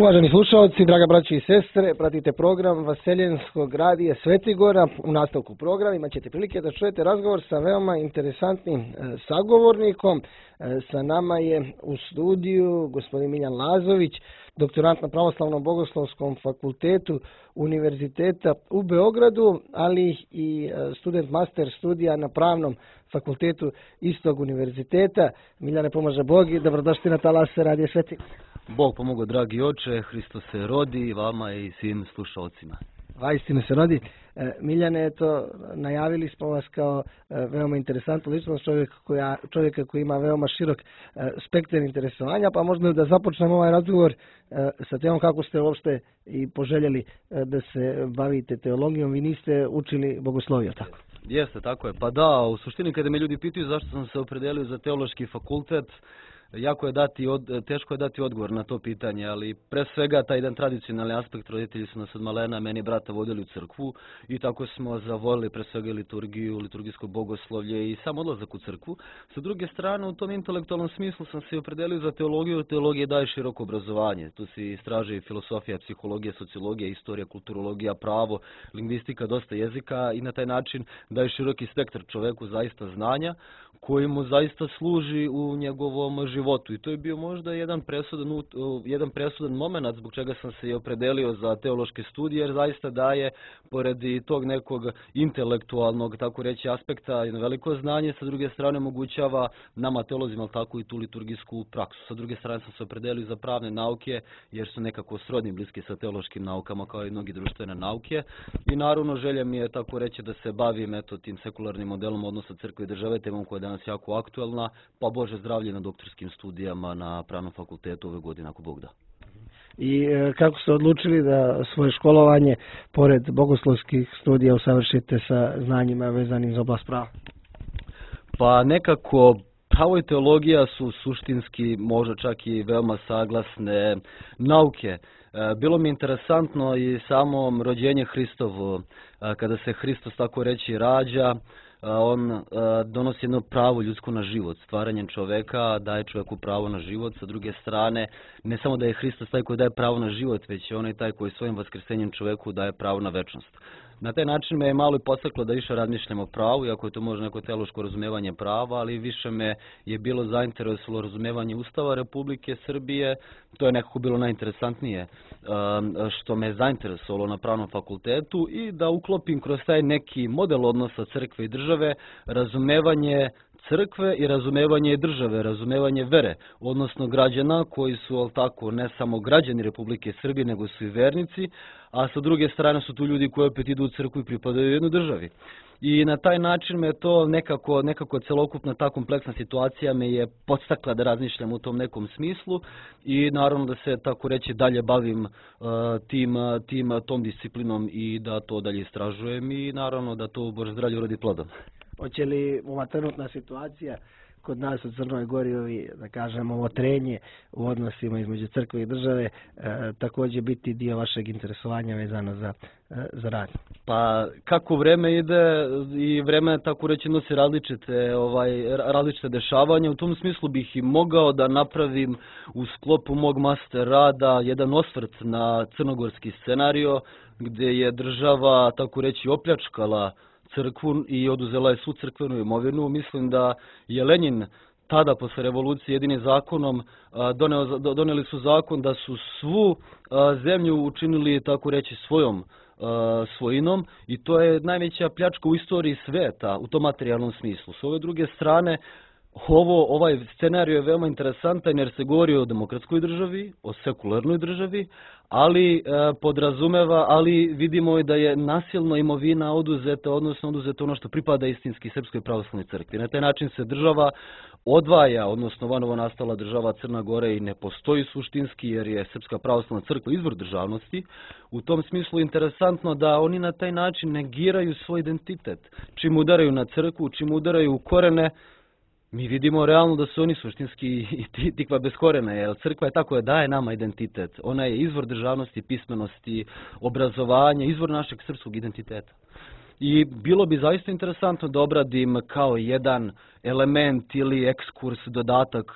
Uvaženi slušalci, draga braći i sestre, pratite program Vaseljenskog radija Svetigora. U nastavku programa imat ćete prilike da čujete razgovor sa veoma interesantnim sagovornikom. Sa nama je u studiju gospodin Miljan Lazović, doktorant na Pravoslavnom bogoslovskom fakultetu Univerziteta u Beogradu, ali i student master studija na Pravnom fakultetu istog univerziteta. Miljane, pomaže Bog i dobrodošli na talase radija Svetigora. Bog pomogao, dragi oče, Hristos se rodi vama i svim slušalcima. Vaistinu se rodi. Miljane, eto, najavili smo vas kao veoma interesantnu ličnost, čovjeka koji ima veoma širok spektar interesovanja, pa možda da započnemo ovaj razgovor sa temom kako ste uopšte i poželjeli da se bavite teologijom. Vi niste učili bogosloviju, tako? Jeste, tako je. Pa da, u suštini kada me ljudi pitaju zašto sam se opredelio za teološki fakultet, teško je dati odgovor na to pitanje, ali pre svega taj jedan tradicionalni aspekt, roditelji su nas od malena, meni i brata vodili u crkvu i tako smo zavolili pre svega liturgiju, liturgijsko bogoslovlje i sam odlazak u crkvu. Sa druge strane, u tom intelektualnom smislu sam se opredelio za teologiju. Teologija daje široko obrazovanje. Tu se istražuje filosofija, psihologija, sociologija, istorija, kulturologija, pravo, lingvistika, dosta jezika i na taj način daje široki spektar čoveku zaista znanja koji mu zaista služi u njegovom životu. I to je bio možda jedan presudan moment zbog čega sam se i opredelio za teološke studije, jer zaista daje, pored i tog nekog intelektualnog, tako reći, aspekta, jedno veliko znanje, sa druge strane omogućava nama teolozima tako i tu liturgijsku praksu. Sa druge strane sam se opredelio za pravne nauke, jer su nekako srodni, bliski sa teološkim naukama, kao i mnogi društvene nauke. I naravno želja mi je, tako reći, da se bavim tim sekularnim modelom odnosa crkve i države, temom koja je danas jako aktuelna, pa Bože zdravlje na doktorskim studijama na Pravnom fakultetu ove godine, ako Bog da. I kako ste odlučili da svoje školovanje, pored bogoslovskih studija, usavršite sa znanjima vezanim za oblast prava? Pa nekako pravo i teologija su suštinski, možda čak i veoma saglasne nauke. Bilo mi interesantno i samo rođenje Hristovo, kada se Hristos, tako reći, rađa, on donosi jedno pravo ljudsko na život. Stvaranjem čoveka daje čoveku pravo na život. Sa druge strane, ne samo da je Hristos taj koji daje pravo na život, već je on i taj koji svojim vaskrsenjem čoveku daje pravo na večnost. Na taj način me je malo i podstaklo da više razmišljam o pravu, iako je to možda neko teološko razumevanje prava, ali više me je bilo zainteresovalo razumevanje Ustava Republike Srbije. To je nekako bilo najinteresantnije što me je zainteresovalo na Pravnom fakultetu i da uklopim kroz taj neki model odnosa crkve i države razumevanje crkve i razumevanje države, razumevanje vere, odnosno građana koji su tako ne samo građani Republike Srbije, nego su i vernici, a sa druge strane su tu ljudi koji opet idu u crkvu i pripadaju jednoj državi. I na taj način me to nekako celokupna ta kompleksna situacija me je podstakla da razmišljam u tom nekom smislu i naravno da se, tako reći, dalje bavim tom disciplinom i da to dalje istražujem i naravno da to Bože zdravlje urodi plodom. Hoće li ova trenutna situacija kod nas u Crnoj Gori, da kažemo, ovo trenje u odnosima između crkve i države također biti dio vašeg interesovanja vezano za rad? Pa kako vreme ide i vreme, tako reći, nosi različite dešavanja. U tom smislu bih i mogao da napravim u sklopu mog master rada jedan osvrt na crnogorski scenario gdje je država, tako reći, opljačkala crkvu i oduzela je svu crkvenu imovinu. Mislim da je Lenin tada, posle revolucije, jedinim zakonom doneli su zakon da su svu zemlju učinili, tako reći, svojom svojinom i to je najveća pljačka u istoriji sveta u tom materijalnom smislu. S ove druge strane, ovaj scenario je veoma interesantan jer se govori o demokratskoj državi, o sekularnoj državi, ali ali vidimo i da je nasilno imovina oduzeta, odnosno oduzeto ono što pripada istinski Srpskoj pravoslavnoj crkvi. Na taj način se država odvaja, odnosno vanovo nastala država Crna Gora i ne postoji suštinski jer je Srpska pravoslavna crkva izvor državnosti. U tom smislu je interesantno da oni na taj način negiraju svoj identitet. Čim udaraju na crkvu, čim udaraju u korene, mi vidimo realno da su oni suštinski tikva bez korena, jer crkva je tako da daje nama identitet. Ona je izvor državnosti, pismenosti, obrazovanja, izvor našeg srpskog identiteta. i bilo bi zaista interesantno da obradim kao jedan element ili ekskurs, dodatak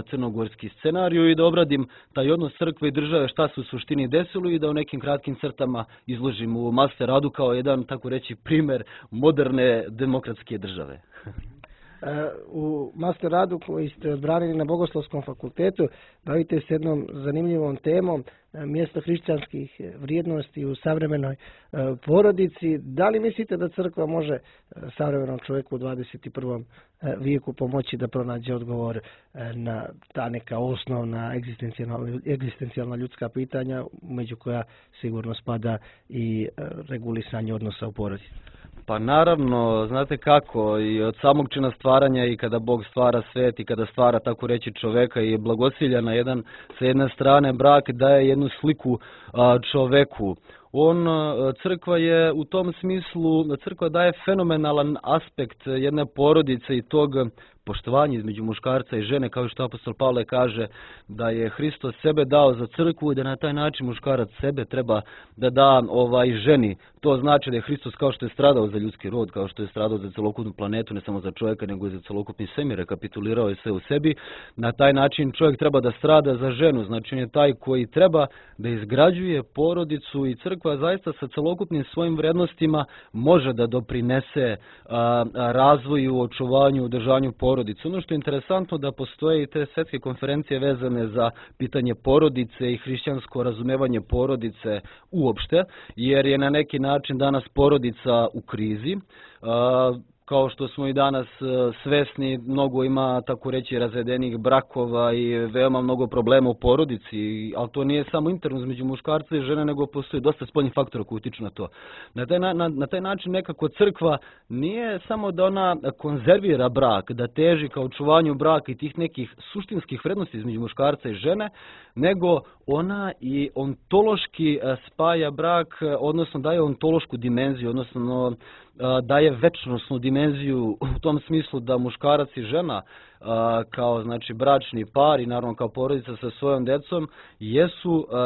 crnogorski scenariju i da obradim taj odnos crkve i države, šta se u suštini desilo i da u nekim kratkim crtama izložim u master radu kao jedan, tako reći, primer moderne demokratske države. U master radu koji ste branili na Bogoslovskom fakultetu bavite se jednom zanimljivom temom, mjesto hrišćanskih vrijednosti u savremenoj porodici. Da li mislite da crkva može savremenom čovjeku u 21. vijeku pomoći da pronađe odgovor na ta neka osnovna egzistencijalna ljudska pitanja, među koja sigurno spada i regulisanje odnosa u porodici? Pa naravno, znate kako, i od samog čina stvaranja i kada Bog stvara svet i kada stvara, tako reći, čoveka i blagosilja sa jedne strane brak daje jednu sliku čoveku. Crkva je u tom smislu, crkva daje fenomenalan aspekt jedne porodice i tog poštovanja između muškarca i žene, kao što apostol Pavle kaže da je Hristos sebe dao za crkvu i da na taj način muškarac sebe treba da da ženi. To znači da je Hristos, kao što je stradao za ljudski rod, kao što je stradao za celokupnu planetu, ne samo za čovjeka, nego i za celokupni svemir, rekapitulirao je sve u sebi. Na taj način čovjek treba da strada za ženu, znači on je taj koji treba da izgrađuje porodicu i crkva zaista sa celokupnim svojim vrednostima može da doprinese razvoju, očuvanju, održanju porodice. Ono što je interesantno da postoje i te svetske konferencije vezane za pitanje porodice i hrišćansko razumevanje porodice uopšte, jer je na neki način danas porodica u krizi. Kao što smo i danas svesni, mnogo ima, tako reći, razvedenih brakova i veoma mnogo problema u porodici, ali to nije samo interno između muškarca i žene, nego postoji dosta spoljnih faktora koji utiču na to. Na taj način nekako crkva nije samo da ona konzervira brak, da teži ka očuvanju braka i tih nekih suštinskih vrednosti između muškarca i žene, nego ona i ontološki spaja brak, odnosno daje ontološku dimenziju, odnosno daje večnosnu dimenziju u tom smislu da muškarac i žena kao znači bračni par i naravno kao porodica sa svojom decom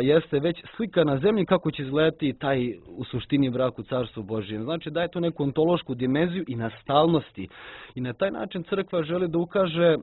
jeste već slika na zemlji kako će izgledati taj u suštini brak u Carstvu Božijem. Znači daje to neku ontološku dimenziju i na stalnosti. I na taj način crkva želi da ukaže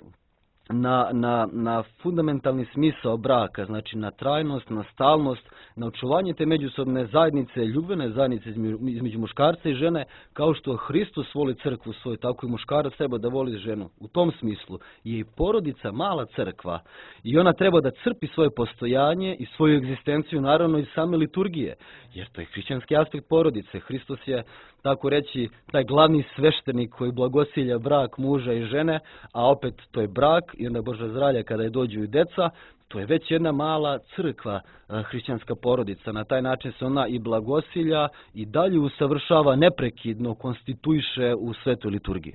na fundamentalni smisao braka, znači na trajnost, na stalnost, na očuvanje te međusobne zajednice, ljubvene zajednice između muškarca i žene, kao što Hristos voli crkvu svoju, tako i muškarac treba da voli ženu. U tom smislu je i porodica mala crkva i ona treba da crpi svoje postojanje i svoju egzistenciju, naravno iz same liturgije, jer to je hrišćanski aspekt porodice. Hristos je, tako reći, taj glavni sveštenik koji blagosilja brak muža i žene, a opet to je brak i onda Božja zdravlja kada je dođu i deca, to je već jedna mala crkva, hrišćanska porodica. Na taj način se ona i blagosilja i dalje usavršava, neprekidno konstituiše u svetoj liturgiji.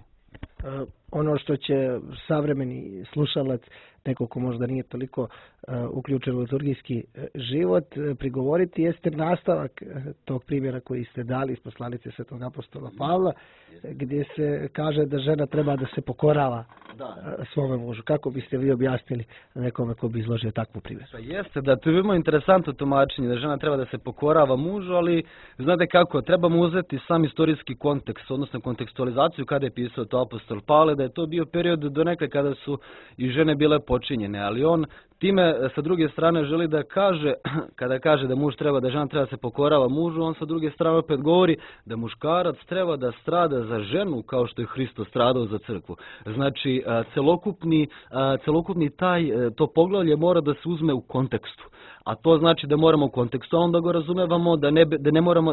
Ono što će savremeni slušalac, neko ko možda nije toliko uključen u liturgijski život, prigovoriti jeste nastavak tog primjera koji ste dali iz poslanice svetog apostola Pavla, gdje se kaže da žena treba da se pokorava svome mužu. Kako biste vi objasnili nekome ko bi izložio takvu primjer? Jeste da to je veoma interesantno tumačenje, da žena treba da se pokorava mužu, ali znate kako, trebamo uzeti sam istorijski kontekst, odnosno kontekstualizaciju kada je pisao to apostol Pavle, da je to bio period donekle kada su i žene bile počinjene, ali on time sa druge strane želi da kaže, kada kaže da muž treba, da žena treba da se pokorava mužu, on sa druge strane opet govori da muškarac treba da strada za ženu kao što je Hristos stradao za crkvu. Znači, celokupni to poglavlje mora da se uzme u kontekstu. A to znači da moramo u kontekstu onda ga razumevamo,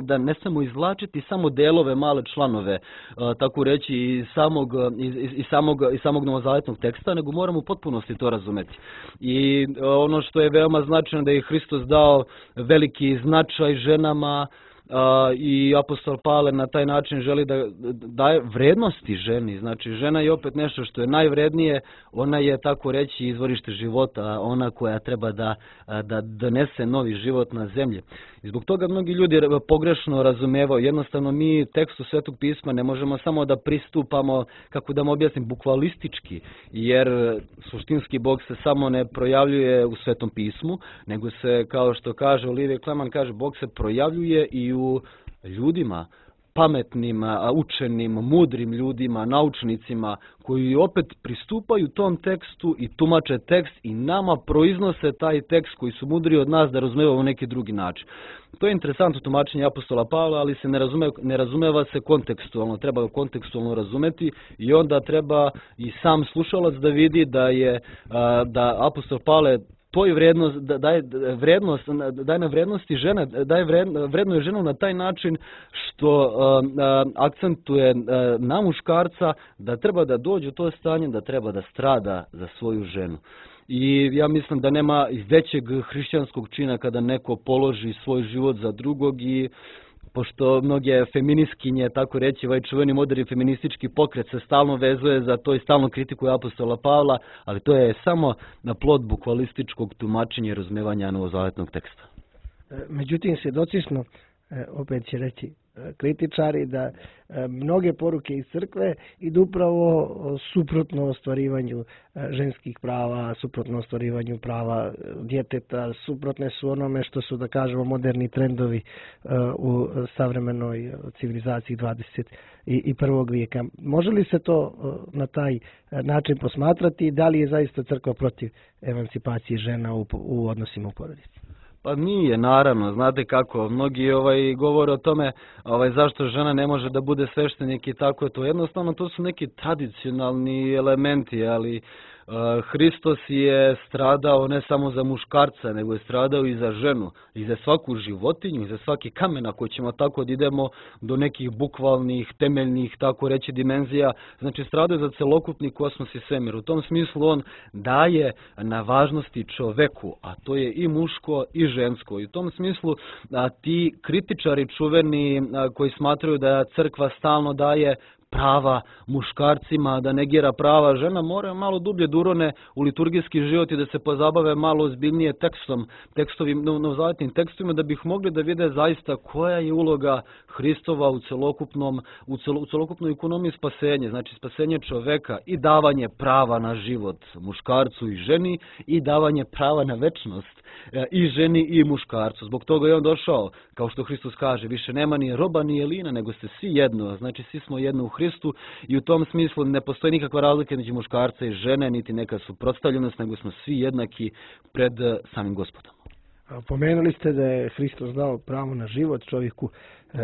da ne smemo izvlačiti samo delove, male članove, tako reći, iz samog novozavetnog teksta, nego moramo u potpunosti to razumeti. I ono što je veoma značajno da je Hristos dao veliki značaj ženama, i apostol Pavle na taj način želi da daje vrednosti ženi. Znači, žena je opet nešto što je najvrednije, ona je, tako reći, izvorište života, ona koja treba da donese novi život na zemlji. I zbog toga mnogi ljudi pogrešno razumevaju. Jednostavno mi tekstu Svetog pisma ne možemo samo da pristupamo, kako da mu objasnim, bukvalistički, jer suštinski Bog se samo ne projavljuje u Svetom pismu, nego se, kao što kaže Olivier Kleman, kaže, Bog se projavljuje i u ljudima. pametnim, učenim, mudrim ljudima, naučnicima koji opet pristupaju tom tekstu i tumače tekst i nama proiznose taj tekst koji su mudri od nas da razumevamo neki drugi način. To je interesantno tumačenje apostola Pavla, ali se ne razumeva se kontekstualno, treba ga kontekstualno razumeti i onda treba i sam slušalac da vidi da apostol Pavle toj vrednost, daje na vrednosti žene, vrednuje ženu na taj način što akcentuje na muškarca da treba da dođe u to stanje, da treba da strada za svoju ženu. I ja mislim da nema većeg hrišćanskog čina kada neko položi svoj život za drugog i pošto mnoge feministkinje, tako reći, ovaj čuveni moderni feministički pokret se stalno vezuje za to i stalno kritikuje apostola Pavla, ali to je samo na plod bukvalističkog tumačenja i razumevanja novozavetnog teksta. Međutim, svjedoci smo, opet će reći kritičari, da mnoge poruke iz crkve idu upravo suprotno ostvarivanju ženskih prava, suprotno ostvarivanju prava djeteta, suprotne su onome što su, da kažemo, moderni trendovi u savremenoj civilizaciji 21. vijeka. Može li se to na taj način posmatrati i da li je zaista crkva protiv emancipacije žena u odnosima u porodici? Pa nije, naravno, znate kako, mnogi govore o tome zašto žena ne može da bude sveštenik i tako je to. Jednostavno, to su neki tradicionalni elementi, ali Hristos je stradao ne samo za muškarca, nego je stradao i za ženu, i za svaku životinju, i za svaki kamen, ako ćemo tako da idemo do nekih bukvalnih, temeljnih, tako reći, dimenzija. Znači, stradao je za celokupni kosmos i svemir. U tom smislu on daje na važnosti čoveku, a to je i muško i žensko. I u tom smislu ti kritičari čuveni koji smatraju da crkva stalno daje prava muškarcima, da negira prava žena, moraju malo dublje da urone u liturgijski život i da se pozabave malo ozbiljnije novozavetnim tekstovima, da bih mogli da vide zaista koja je uloga Hristova u celokupnoj ekonomiji spasenja, znači spasenje čoveka i davanje prava na život muškarcu i ženi i davanje prava na večnost i ženi i muškarcu. Zbog toga je on došao, kao što Hristos kaže, više nema ni roba ni jelina, nego ste svi jedno, znači svi smo jedno u Hristu i u tom smislu ne postoji nikakva razlika između muškarca i žene, niti neka suprotstavljenost, nego smo svi jednaki pred samim Gospodom. Pomenuli ste da je Hristos dao pravo na život čovjeku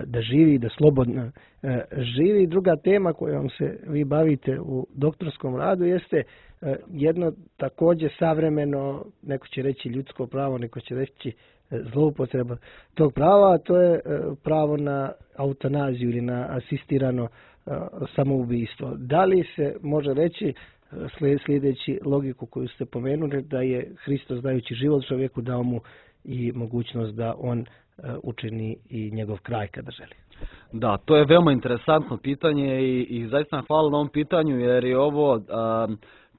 da živi, da slobodno živi. Druga tema kojom se vi bavite u doktorskom radu jeste jedno također savremeno, neko će reći ljudsko pravo, neko će reći zloupotreba tog prava, a to je pravo na eutanaziju ili na asistirano samoubistvo. Da li se može reći, slijedeći logiku koju ste pomenuli, da je Hristos dajući život čovjeku dao mu i mogućnost da on učini i njegov kraj kada želi? Da, to je veoma interesantno pitanje i zaista hvala na ovom pitanju jer je ovo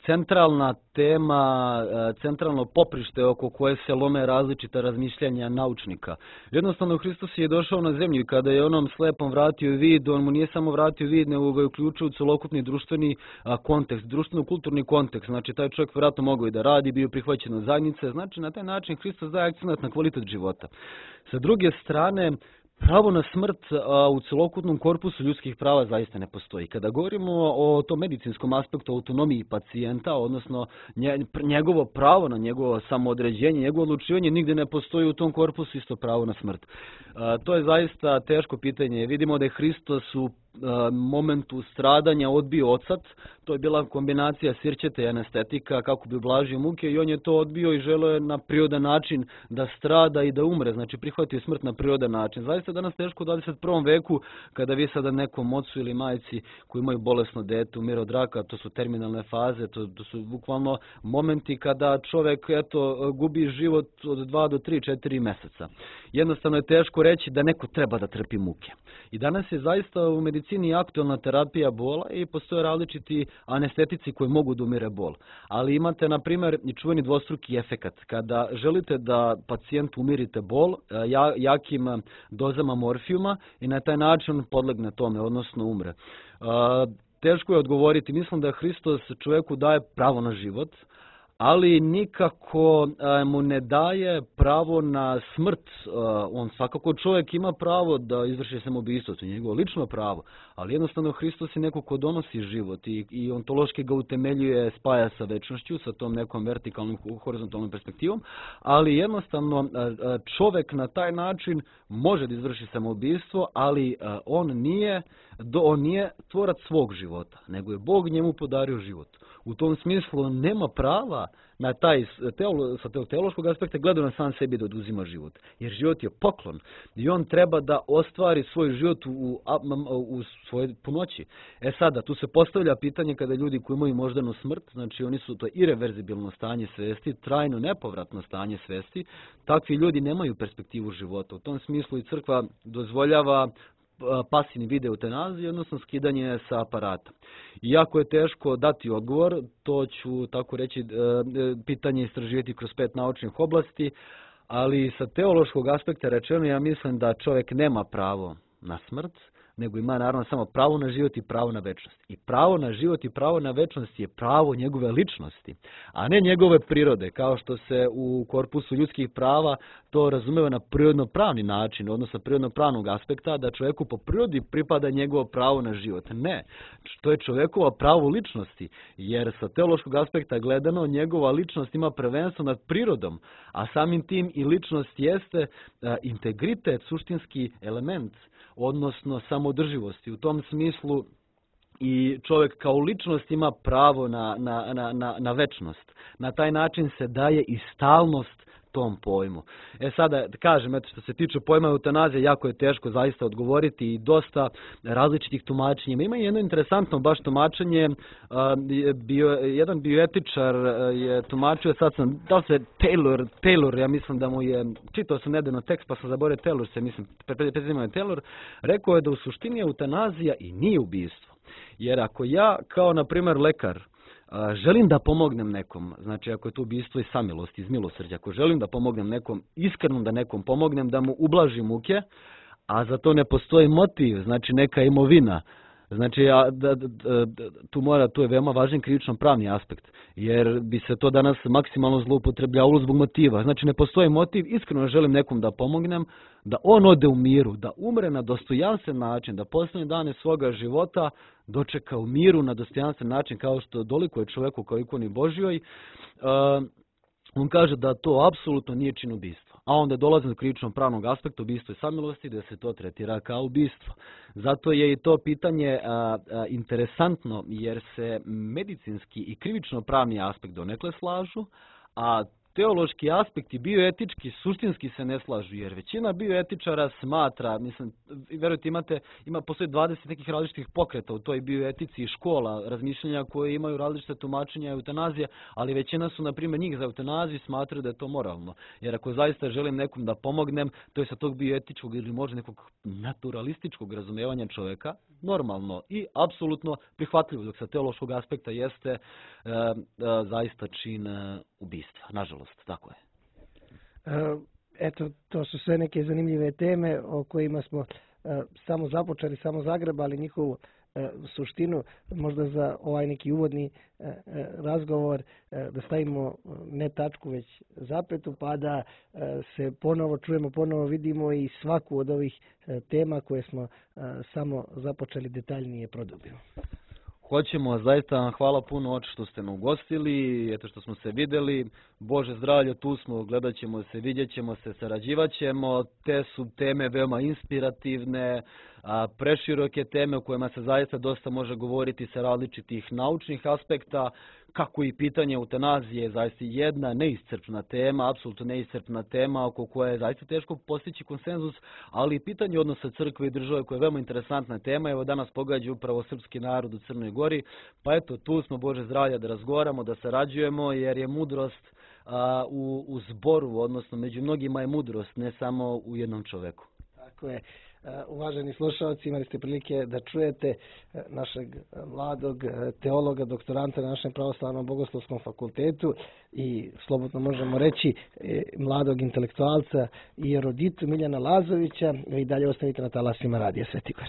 centralna tema, centralno poprište oko koje se lome različita razmišljanja naučnika. Jednostavno, Hristos je došao na zemlju i kada je onom slepom vratio vid, on mu nije samo vratio vid, nego ga je uključio u celokupni društveni kontekst, društveno-kulturni kontekst. Znači, taj čovjek vjerojatno mogao i da radi, bio prihvaćen od zajednice. Znači, na taj način Hristos daje akcenat na kvalitet života. Sa druge strane, pravo na smrt u celokupnom korpusu ljudskih prava zaista ne postoji. Kada govorimo o tom medicinskom aspektu autonomiji pacijenta, odnosno njegovo pravo na njegovo samoodređenje, njegovo odlučivanje, nigdje ne postoji u tom korpusu isto pravo na smrt. To je zaista teško pitanje. Vidimo da je Hristos u momentu stradanja odbio ocat, to je bila kombinacija sirćete i anestetika kako bi ublažio muke i on je to odbio i želeo je na prirodan način da strada i da umre, znači prihvatio smrt na prirodan način. Zaista danas teško u 21. veku kada vi sada nekom ocu ili majci koji imaju bolesno dete umire od raka, to su terminalne faze, to su bukvalno momenti kada čovjek gubi život od 2 do 3, 4 mjeseca. Jednostavno je teško reći da neko treba da trpi muke. I danas je zaista u medicini aktualna terapija bola i postoje različiti anestetici koji mogu da umire bol. Ali imate, na primjer, i čuveni dvostruki efekat. Kada želite da pacijentu umirite bol jakim dozama morfijuma i na taj način podlegne tome, odnosno umre. Teško je odgovoriti. Mislim da Hristos čovjeku daje pravo na život, ali nikako mu ne daje pravo na smrt. On svakako čovjek ima pravo da izvrši samoubistvo, to je njegovo lično pravo, ali jednostavno Hristos je neko ko donosi život i ontološki ga utemeljuje, spaja sa večnošću, sa tom nekom vertikalnom, horizontalnom perspektivom, ali jednostavno čovjek na taj način može da izvrši samoubistvo, ali on nije tvorac svog života, nego je Bog njemu podario život. U tom smislu nema prava na taj, sa teološkog aspekta gleda na sam sebi da oduzima život. Jer život je poklon i on treba da ostvari svoj život u svoje punoći. Sada, tu se postavlja pitanje kada ljudi koji imaju moždanu smrt, znači oni su to ireverzibilno stanje svesti, trajno nepovratno stanje svesti, takvi ljudi nemaju perspektivu života. U tom smislu i crkva dozvoljava pasivni vid eutanazije, odnosno skidanje sa aparata. Iako je teško dati odgovor, to ću tako reći pitanje istraživati kroz 5 naučnih oblasti, ali sa teološkog aspekta rečeno ja mislim da čovjek nema pravo na smrt, nego ima naravno samo pravo na život i pravo na večnost. I pravo na život i pravo na večnost je pravo njegove ličnosti, a ne njegove prirode, kao što se u korpusu ljudskih prava to razumeva na prirodno-pravni način, odnosno prirodno-pravnog aspekta, da čovjeku po prirodi pripada njegovo pravo na život. Ne, to je čovjekova pravo ličnosti, jer sa teološkog aspekta gledano njegova ličnost ima prvenstvo nad prirodom, a samim tim i ličnost jeste integritet, suštinski element, odnosno samoodrživosti. U tom smislu i čovjek kao ličnost ima pravo na večnost. Na taj način se daje i stalnost tom pojmu. Sada, kažem, što se tiče pojma eutanazije, jako je teško zaista odgovoriti i dosta različitih tumačenja. Ima jedno interesantno baš tumačenje, jedan bioetičar je tumačio, sad sam, da li se Taylor, ja mislim da mu je, čitao sam nedavno tekst pa sam zaboravio Taylor, rekao je da u suštini eutanazija i nije ubistvo. Jer ako ja, kao na primjer lekar, želim da pomognem nekom, znači ako je to ubistvo iz samilosti, iz milosrđa, ako želim da pomognem nekom, iskreno da nekom pomognem, da mu ublažim muke, a za to ne postoji motiv, znači neka imovina, znači tu je veoma važan krivično pravni aspekt, jer bi se to danas maksimalno zloupotrebljavalo zbog motiva. Znači ne postoji motiv, iskreno želim nekom da pomognem, da on ode u miru, da umre na dostojanstven način, da posljednje dane svoga života dočeka u miru na dostojanstven način, kao što dolikuje čovjeku kao ikoni Božjoj. On kaže da to apsolutno nije čin ubistva. A onda dolazi do krivičnog pravnog aspekta ubistva i samilosti, da se to tretira kao ubistvo. Zato je i to pitanje interesantno, jer se medicinski i krivično pravni aspekt donekle slažu, a teološki aspekti bioetički suštinski se ne slažu, jer većina bioetičara smatra, mislim, verujte, postoji 20 nekih različitih pokreta u toj bioetici i škola razmišljanja koje imaju različite tumačenja eutanazije, ali većina su, na primjer, njih za eutanaziju smatraju da je to moralno. Jer ako zaista želim nekom da pomognem, to je sa tog bioetičkog ili možda nekog naturalističkog razumijevanja čovjeka normalno i apsolutno prihvatljivo, dok sa teološkog aspekta jeste zaista čin ubistva. Nažalost, tako je. Eto, to su sve neke zanimljive teme o kojima smo samo započeli, samo zagrebali njihovu suštinu. Možda za ovaj neki uvodni razgovor da stavimo ne tačku već zapetu, pa da se ponovo čujemo, ponovo vidimo i svaku od ovih tema koje smo samo započeli detaljnije produbimo. Hoćemo, zaista vam hvala puno oči što ste me ugostili, eto što smo se vidjeli. Bože zdravlje, tu smo, gledat ćemo se, vidjet ćemo se, sarađivat ćemo. Te su teme veoma inspirativne, preširoke teme o kojima se zaista dosta može govoriti sa različitih naučnih aspekta, kako i pitanje eutanazije je zaista jedna neiscrpna tema, apsolutno neiscrpna tema oko koje je zaista teško postići konsenzus, ali i pitanje odnosa crkve i države koja je veoma interesantna tema. Evo danas pogađa upravo srpski narod u Crnoj Gori, pa eto tu smo, Bože zdravlja, da razgovaramo, da sarađujemo, jer je mudrost u zboru, odnosno među mnogima je mudrost, ne samo u jednom čoveku. Tako je. Uvaženi slušalci, imali ste prilike da čujete našeg mladog teologa, doktoranta na našem pravoslavnom bogoslovskom fakultetu i slobodno možemo reći mladog intelektualca i eruditu Miljana Lazovića. Vi dalje ostavite na talasima Radija Sveti Gor.